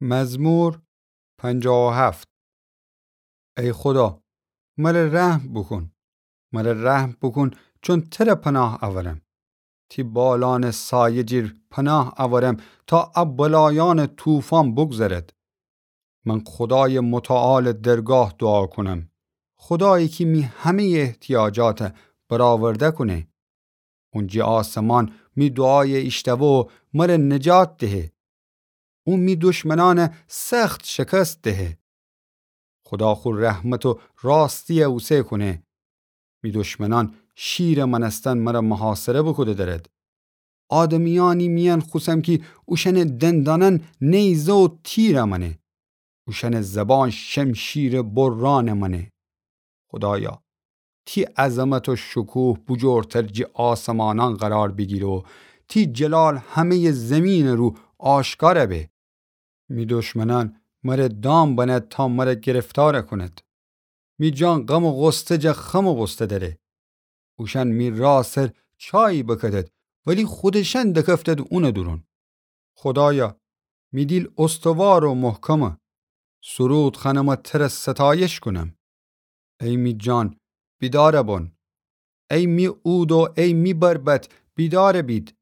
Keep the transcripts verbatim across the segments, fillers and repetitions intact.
مزمور پنجاه و هفت. ای خودا، مره رحم بوکون. مره رحم بوکون، چون تره پناه اورم. تی بالانٚ سایه جیر پناه اورم، تا ا بلایأنٚ طوفان بگذرد. من خودایٚ متعالٚ درگاه دوعا کونم، خودایی کی می همه‌یٚ احتیاجات برآورده کونه. اون جی آسمان می دوعای ایشتوه و مره نجات دهه. او می دشمنأن سخت شکست دهه. خودا خو رحمت و راستی اوسه کونه. می دشمنأن شیرٚ مأنستن مره محاصره بوکوده درد. آدمیأنی میأن خوسم کی اوشأنٚ دندانأن نیزه و تیر مأنه. اوشأنٚ زبان شمشیرٚ بران مأنه. خودایا، تی عظمت و شکوه بوجورتر جی آسمانأن قرار بیگیره و تی جلال همه‌یٚ زیمینٚ رو آشکار به. می دشمنأن مره دام بنه تا مره گرفتار کونید. می جان غم و غصه جا خم بوسته دره. اوشأن می راه سر چایی بکدد، ولی خودشأن دکفتد اونٚ دورون. خودایا، می دیل استوار و محکمه. سرود خوأنم و تره ستایش کونم. ای می جان، بیدار بون. ای می عود و ای می بربط، بیدار بید.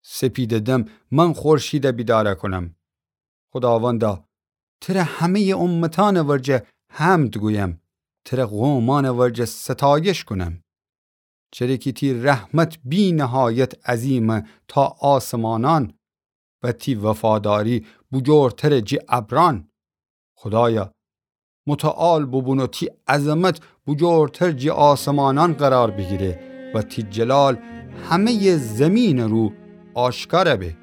سپیدٚ دم من خورشید بیدار کونم. خوداوندا، تره همه‌یٚ امتأنٚ ورجه حمد گویم، تره قومأنٚ ورجه ستایش کونم. چره کی تی رحمت بی‌نهایت عظیمه تا آسمانأن و تی وفاداری بوجورتره جی ابرأن. خودایا، متعال بوبون و تی عظمت بوجورتر جی آسمانأن قرار بیگیره و تی جلال همه‌یٚ زیمینٚ رو آشکار به.